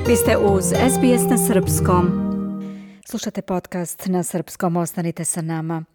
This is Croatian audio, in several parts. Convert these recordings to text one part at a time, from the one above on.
Vi ste uz SBS na srpskom. Slušate podcast na srpskom, ostanite sa nama.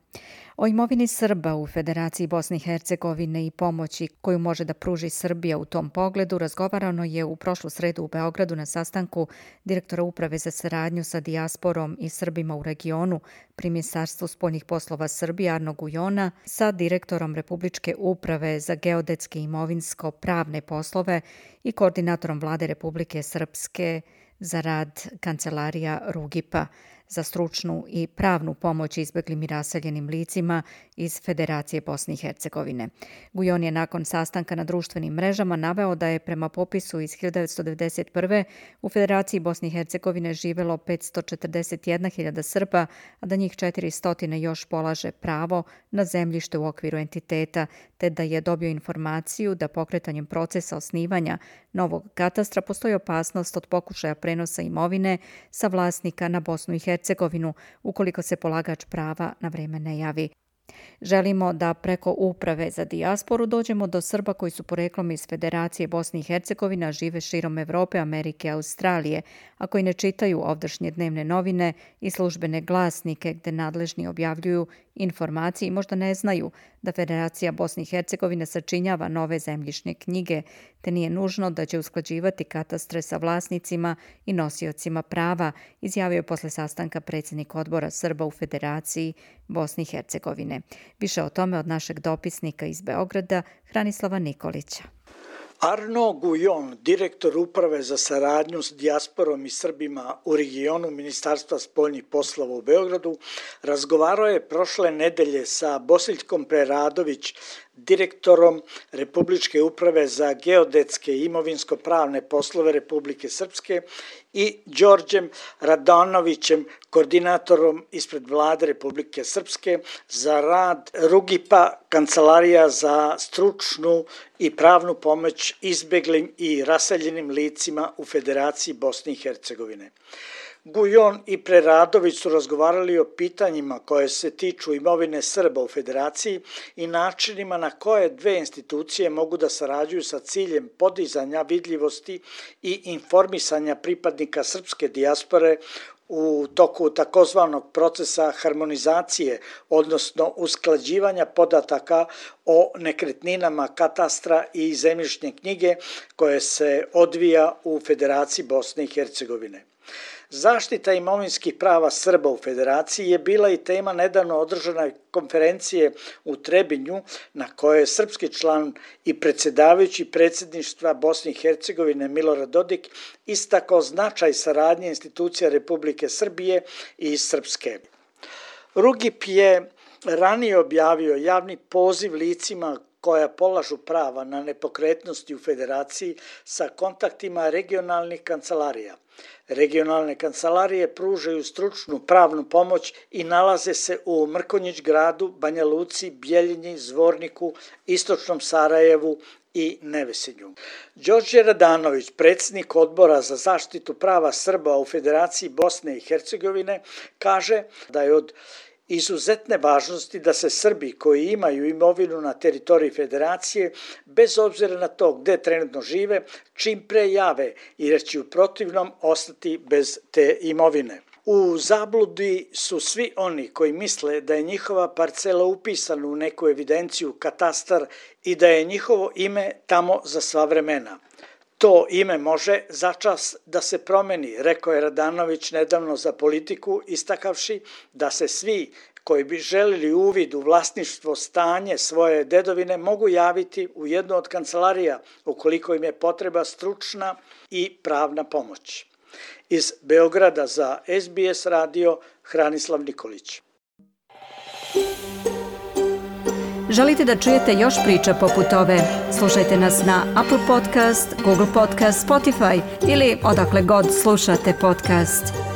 O imovini Srba u Federaciji Bosne i Hercegovine i pomoći koju može da pruži Srbija u tom pogledu razgovarano je u prošlu sredu u Beogradu na sastanku direktora Uprave za saradnju sa dijasporom i Srbima u regionu pri Ministarstvu spoljnih poslova Srbije Arno Gujona sa direktorom Republičke uprave za geodetske i imovinsko-pravne poslove i koordinatorom Vlade Republike Srpske za rad Kancelarija Rugipa za stručnu i pravnu pomoć izbeglim i raseljenim licima iz Federacije Bosne i Hercegovine. Gujon je nakon sastanka na društvenim mrežama naveo da je prema popisu iz 1991. u Federaciji Bosne i Hercegovine živelo 541.000 Srba, a da njih 400 još polaže pravo na zemljište u okviru entiteta, te da je dobio informaciju da pokretanjem procesa osnivanja novog katastra postoji opasnost od pokušaja prenosa imovine sa vlasnika na Bosnu i Hercegovinu ukoliko se polagač prava na vreme ne javi. Želimo da preko Uprave za dijasporu dođemo do Srba koji su poreklom iz Federacije Bosne i Hercegovine, a žive širom Evrope, Amerike, Australije, a koji ne čitaju ovdašnje dnevne novine i službene glasnike gde nadležni objavljuju informacije i možda ne znaju da Federacija Bosne i Hercegovine sačinjava nove zemljišne knjige, te nije nužno da će usklađivati katastre sa vlasnicima i nosiocima prava, izjavio je posle sastanka predsjednik odbora Srba u Federaciji Bosne i Hercegovine. Više o tome od našeg dopisnika iz Beograda, Hranislava Nikolića. Arno Gujon, direktor Uprave za saradnju s dijasporom i Srbima u regionu Ministarstva spoljnih poslova u Beogradu, razgovarao je prošle nedelje sa Bosiljkom Preradović, direktorom Republičke uprave za geodetske i imovinsko-pravne poslove Republike Srpske i Đorđem Radanovićem, koordinatorom ispred Vlade Republike Srpske za rad Rugipa, Kancelarija za stručnu i pravnu pomoć izbeglim i raseljenim licima u Federaciji Bosne i Hercegovine. Gujon i Preradović su razgovarali o pitanjima koje se tiču imovine Srba u Federaciji i načinima na koje dve institucije mogu da sarađuju sa ciljem podizanja vidljivosti i informisanja pripadnika srpske dijaspore u toku takozvanog procesa harmonizacije, odnosno usklađivanja podataka o nekretninama katastra i zemljišne knjige koje se odvija u Federaciji Bosne i Hercegovine. Zaštita imovinskih prava Srba u Federaciji je bila i tema nedavno održane konferencije u Trebinju na kojoj je srpski član i predsjedavajući predsjedništva Bosne i Hercegovine Milorad Dodik istakao značaj saradnje institucija Republike Srbije i Srpske. Rugip je ranije objavio javni poziv licima koja polažu prava na nepokretnosti u Federaciji sa kontaktima regionalnih kancelarija. Regionalne kancelarije pružaju stručnu pravnu pomoć i nalaze se u Mrkonjić gradu, Banja Luci, Bjeljini, Zvorniku, Istočnom Sarajevu i Nevesinju. Đorđe Radanović, predsjednik odbora za zaštitu prava Srba u Federaciji Bosne i Hercegovine, kaže da je od izuzetne važnosti da se Srbi koji imaju imovinu na teritoriji Federacije, bez obzira na to gde trenutno žive, čim pre jave jer će u protivnom ostati bez te imovine. U zabludi su svi oni koji misle da je njihova parcela upisana u neku evidenciju, katastar i da je njihovo ime tamo za sva vremena. To ime može začas da se promeni, rekao je Radanović nedavno za Politiku, istakavši da se svi koji bi želili uvid u vlasništvo stanje svoje dedovine mogu javiti u jednu od kancelarija ukoliko im je potreba stručna i pravna pomoć. Iz Beograda za SBS radio Hranislav Nikolić. Želite da čujete još priča poput ove? Slušajte nas na Apple Podcast, Google Podcast, Spotify ili odakle god slušate podcast.